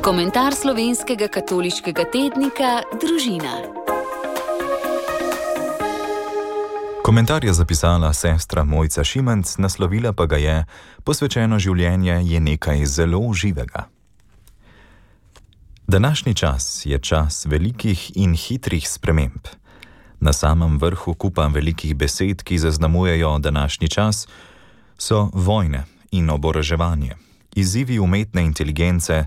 Komentar slovenskega katoliškega tednika Družina. Komentar je zapisala sestra Mojca Šimenc, naslovila pa ga je: Posvečeno življenje je nekaj zelo živega. Današnji čas je čas velikih in hitrih sprememb. Na samem vrhu kupa velikih besed, ki zaznamujejo današnji čas, so vojne in oboroževanje, izzivi umetne inteligence,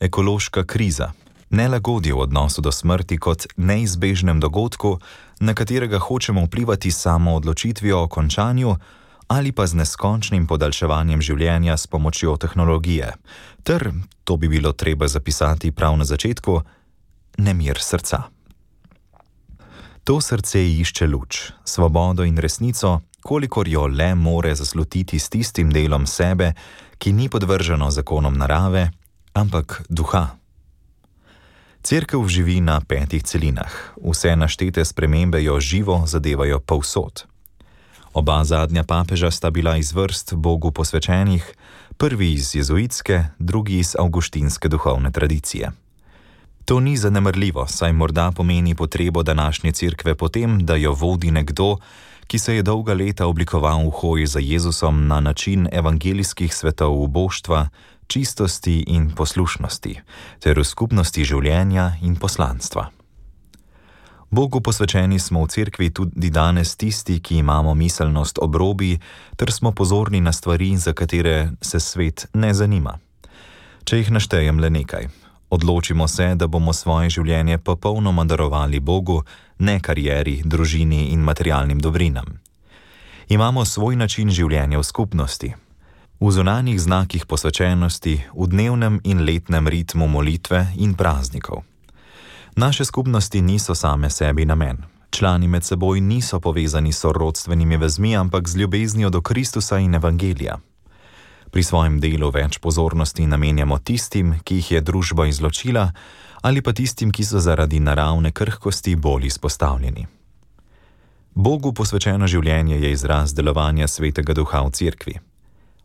ekološka kriza, nelagodje v odnosu do smrti kot neizbežnem dogodku, na katerega hočemo vplivati samo odločitvijo o končanju ali pa z neskončnim podaljševanjem življenja s pomočjo tehnologije, ter, to bi bilo treba zapisati prav na začetku, nemir srca. To srce išče luč, svobodo in resnico, kolikor jo le more zaslutiti s tistim delom sebe, ki ni podvrženo zakonom narave, ampak duha. Cerkev živi na 5 celinah, vse naštete spremembe jo živo zadevajo povsod. Oba zadnja papeža sta bila iz vrst Bogu posvečenih, prvi iz jezuitske, drugi iz avguštinske duhovne tradicije. To ni zanemarljivo, saj morda pomeni potrebo današnje cerkve potem, da jo vodi nekdo, ki se je dolga leta oblikoval v hoji za Jezusom na način evangelijskih svetov uboštva, čistosti in poslušnosti, ter v skupnosti življenja in poslanstva. Bogu posvečeni smo v cerkvi tudi danes tisti, ki imamo miselnost ob robi, ter smo pozorni na stvari, za katere se svet ne zanima. Če jih naštejem le nekaj. Odločimo se, da bomo svoje življenje popolnoma darovali Bogu, ne karieri, družini in materialnim dobrinam. Imamo svoj način življenja v skupnosti. V zunanjih znakih posvečenosti, v dnevnem in letnem ritmu molitve in praznikov. Naše skupnosti niso same sebi namen. Člani med seboj niso povezani s sorodstvenimi vezmi, ampak z ljubeznijo do Kristusa in evangelija. Pri svojem delu več pozornosti namenjamo tistim, ki jih je družba izločila, ali pa tistim, ki so zaradi naravne krhkosti bolj izpostavljeni. Bogu posvečeno življenje je izraz delovanja Svetega Duha v cerkvi.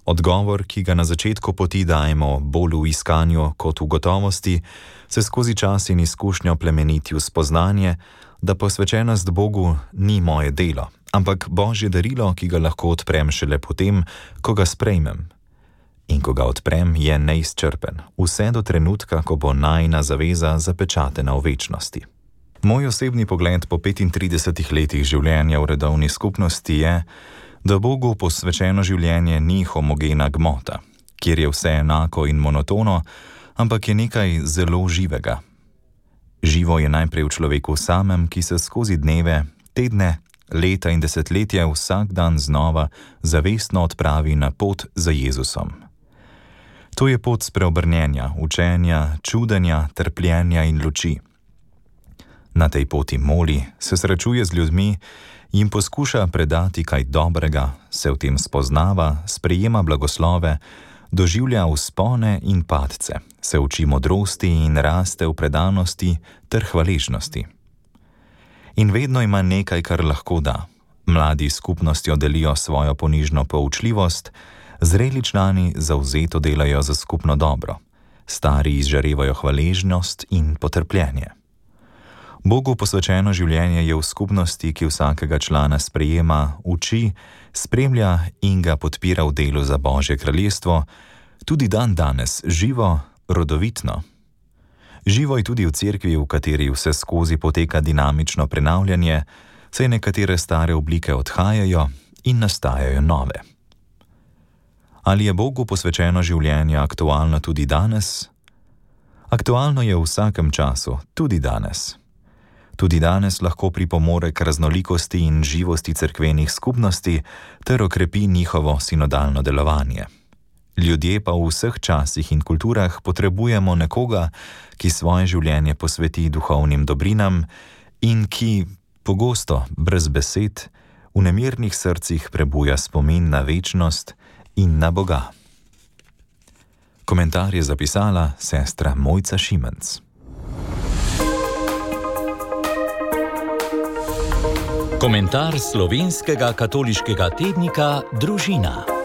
Odgovor, ki ga na začetku poti dajemo bolj v iskanju kot v gotovosti, se skozi čas in izkušnjo plemeniti v spoznanje, da posvečenost Bogu ni moje delo, ampak Božje darilo, ki ga lahko odprem šele potem, ko ga sprejmem. In ko ga odprem, je neizčrpen, vse do trenutka, ko bo najina zaveza zapečatena v večnosti. Moj osebni pogled po 35 letih življenja v redovni skupnosti je, da Bogu posvečeno življenje ni homogena gmota, kjer je vse enako in monotono, ampak je nekaj zelo živega. Živo je najprej v človeku samem, ki se skozi dneve, tedne, leta in desetletja vsak dan znova zavestno odpravi na pot za Jezusom. To je pot spreobrnjenja, učenja, čudenja, trpljenja in luči. Na tej poti moli, se srečuje z ljudmi, jim poskuša predati kaj dobrega, se v tem spoznava, sprejema blagoslove, doživlja vzpone in padce, se uči modrosti in raste v predanosti ter hvaležnosti. In vedno ima nekaj, kar lahko da. Mladi skupnostjo delijo svojo ponižno poučljivost, zreli člani zavzeto delajo za skupno dobro, stari izžarevajo hvaležnost in potrpljenje. Bogu posvečeno življenje je v skupnosti, ki vsakega člana sprejema, uči, spremlja in ga podpira v delu za Božje kraljestvo, tudi danes živo, rodovitno. Živo je tudi v cerkvi, v kateri vse skozi poteka dinamično prenavljanje, saj nekatere stare oblike odhajajo in nastajajo nove. Ali je Bogu posvečeno življenje aktualno tudi danes? Aktualno je v vsakem času, tudi danes. Tudi danes lahko pripomore k raznolikosti in živosti cerkvenih skupnosti ter okrepi njihovo sinodalno delovanje. Ljudje pa v vseh časih in kulturah potrebujemo nekoga, ki svoje življenje posveti duhovnim dobrinam in ki, pogosto brez besed, v nemirnih srcih prebuja spomin na večnost in na Boga. Komentar je zapisala sestra Mojca Šimenc. Komentar slovenskega katoliškega tednika Družina.